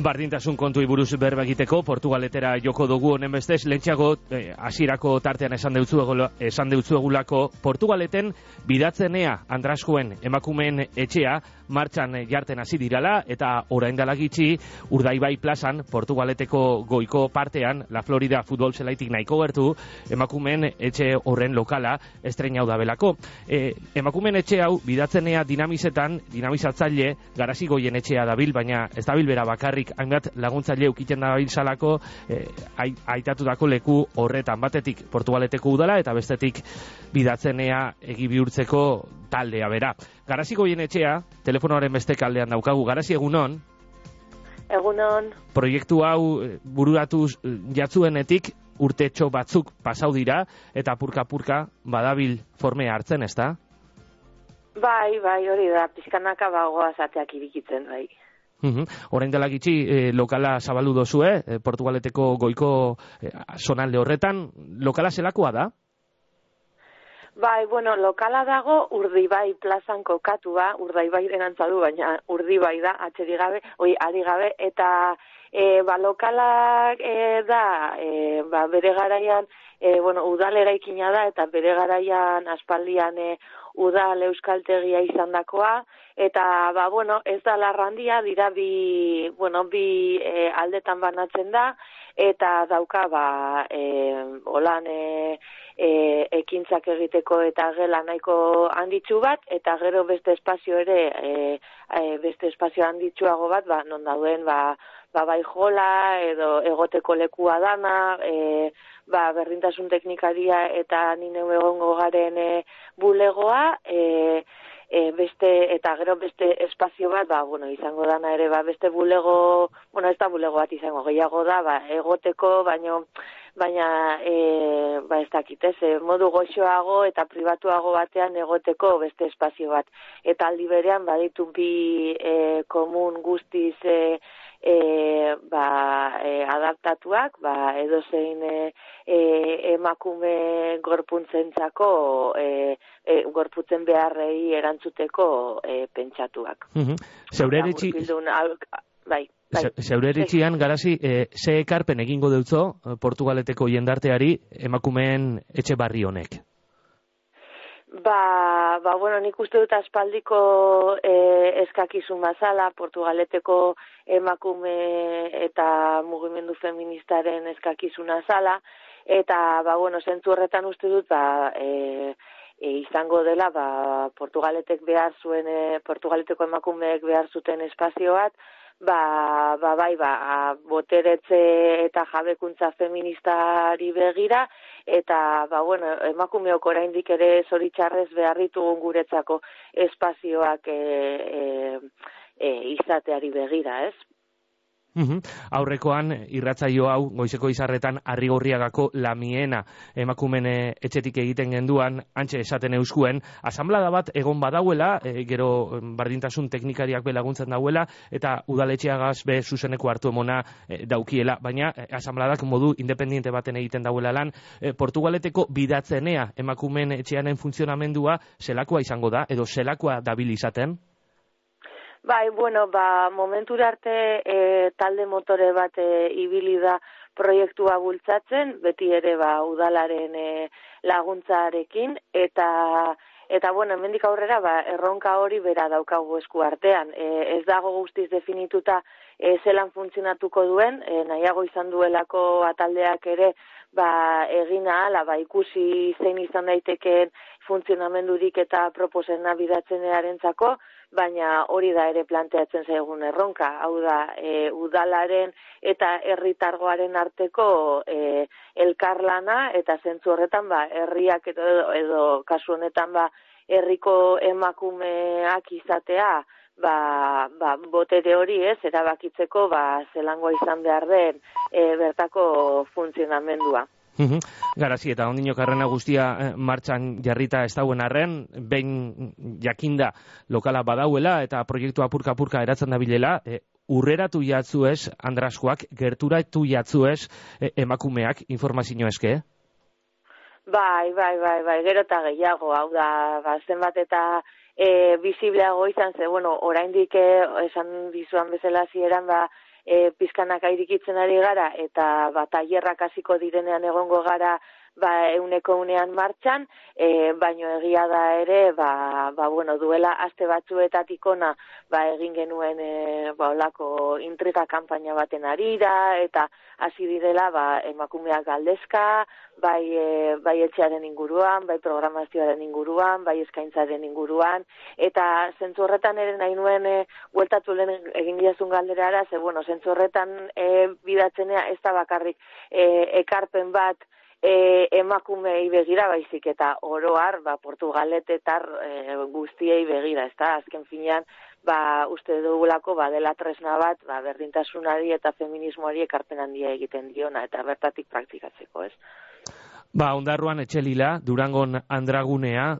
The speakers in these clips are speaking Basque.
Bardintasun kontuei buruz berba egiteko Portugaletera joko dugu honen bestez lentsago hasierako tartean esan deutzuegulako Portugaleten bidatzenea Andraskoen emakumeen etxea martxan jarten hasi dirala eta orain dela gitxi Urdaibai plazan Portugaleteko goiko partean La Florida futbol zelaitik nahiko gertu emakumeen etxe horren lokala estreinau da belako. Emakumeen etxe hau bidatzenea dinamizatzaile Garasi Goien etxea dabil, baina ez dabil bera bakarrik hainbat laguntzaile ukiten dabil salako aitatutako leku horretan, batetik Portugaleteko udala eta bestetik bidatzenea egi bihurtzeko taldea bera. Garasi Goien etxea telefonoaren beste kaldean daukagu. Garasi, egunon? Egunon. Proiektu hau bururatu jatzuenetik urtetxo batzuk pasau dira eta purka-purka badabil formea hartzen, ezta? Bai, hori da, pizkanaka bagoa zateak irikitzen, bai. Orain dela gitxi lokala zabaldu dozue, Portugaleteko goiko zonalde horretan, lokala zelakoa da? Bai, lokala dago Urdaibai plazan kokatua, Urdaibai denantzadu, baina Urdaibai da, ari gabe, eta lokalak da, bere garaian, udal eraikina da, eta bere garaian aspaldian udal euskaltegia izandakoa, eta ez da larrandia, dira bi aldetan banatzen da, eta dauka holan ekintzak egiteko eta gela nahiko handitsu bat, eta gero beste espazio ere, beste espazio handitsuago bat, non dauden bai jola edo egoteko lekua dana, berdintasun teknikaria eta nineu egongo garen bulegoa, eta gero beste espazio bat, izango dana ere, beste bulego, ez da bulego bat izango, gehiago da, egoteko, baina ez dakit, modu goxoago eta pribatuago batean egoteko beste espazio bat. Eta aldi berean baditu bi komun guztiz adaptatuak, edozein emakume gorpuntzentzako gorputzen beharrei erantzuteko pentsatuak. Zeure eritxian, Garasi, ze ekarpen egingo deutzo Portugaleteko jendarteari emakumeen etxe barri honek? Nik uste dut aspaldiko eskakizun bazala, Portugaleteko emakume eta mugimendu feministaren eskakizuna zala, eta, zentzu horretan uste dut, izango dela, Portugaleteko emakumeek behar zuten espazio bat, boteretze eta jabekuntza feministari begira, eta, emakumeok oraindik ere zoritxarrez behar ditugun guretzako espazioak izateari begira, ez? Aurrekoan irratzaio hau goizeko izarretan Arrigorriagako Lamiena emakumen etxetik egiten genduan, antxe esaten euskuen, asanblada bat egon badauela, gero bardintasun teknikariak belaguntzen dauela, eta udaletxeagaz be zuzeneko hartu emona daukiela, baina asanbladak modu independiente baten egiten dauela lan. Portugaleteko bidatzenea emakumen etxeanen funtzionamendua zelakoa izango da, edo zelakoa dabil izaten? Momentura arte talde motore bat ibili da proiektua bultzatzen, beti ere udalaren laguntzarekin, eta hemendik aurrera erronka hori bera daukagu esku artean. Ez dago guztiz definituta zelan funtzionatuko duen, nahiago izan duelako ataldeak ere egin ahala, ikusi zein izan daitekeen funtzionamendurik eta proposena bidatzenearentzako, baina hori da ere planteatzen zaigun erronka, hau da udalaren eta herritargoaren arteko elkarlana, eta zentzu horretan herriak edo kasu honetan herriko emakumeak izatea botere hori erabakitzeko zelangoa izan behar den bertako funtzionamendua. Garasi, eta ondino karrena guztia martxan jarrita ez dauen arren, behin jakinda lokala badauela eta proiektua purka-purka eratzen dabilela, urreratu jatzuez, Andraskoak, gerturatu jatzuez emakumeak informazio eske? Gero eta gehiago, hau da, zenbat eta bizibleago izan, oraindik esan dizuan bezala zieran, pizkanaka irikitzen ari gara, eta tailerrak hasiko direnean egongo gara euneko unean martxan, baino egia da ere, bueno, duela aste batzuetatik ona, egin genuen, olako intriga kanpaina baten arira, eta hasi direla, emakumeak galdezka, bai etxearen inguruan, bai programazioaren inguruan, bai eskaintzaren inguruan, eta zentzu horretan ere nahi nuen bueltatu lehen egin diazun galderara, bueno, zentzu horretan bidatzenea ez da bakarrik ekarpen bat emakumei begira baizik eta oroar, portugaletetar guztiei begira, ez da, azken finean, uste dugulako dela tresna bat, berdintasunari eta feminismoari ekarpen handia egiten diona, eta bertatik praktikatzeko, ez? Ondarruan Etxelila, Durangon Andragunea,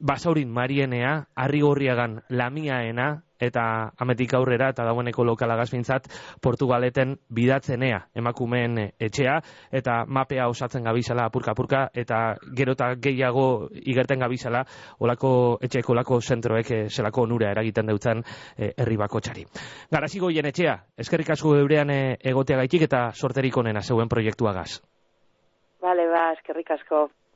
Basaurin Marienea, Arrigorriagan Lamiaena, eta ametik aurrera, eta dagoeneko lokalagaz bintzat, Portugaleten bidatzenea, emakumeen etxea, eta mapea osatzen gabizala apurka-apurka, eta gero eta gehiago igerten gabizala, olako etxeko, olako zentroek zelako onura eragiten deutzen herri bakotxari. Garazigoien etxea, eskerrik asko eurean egoteagaitik eta sorterik onena zeuen proiektuagaz. Bale, eskerrik asko.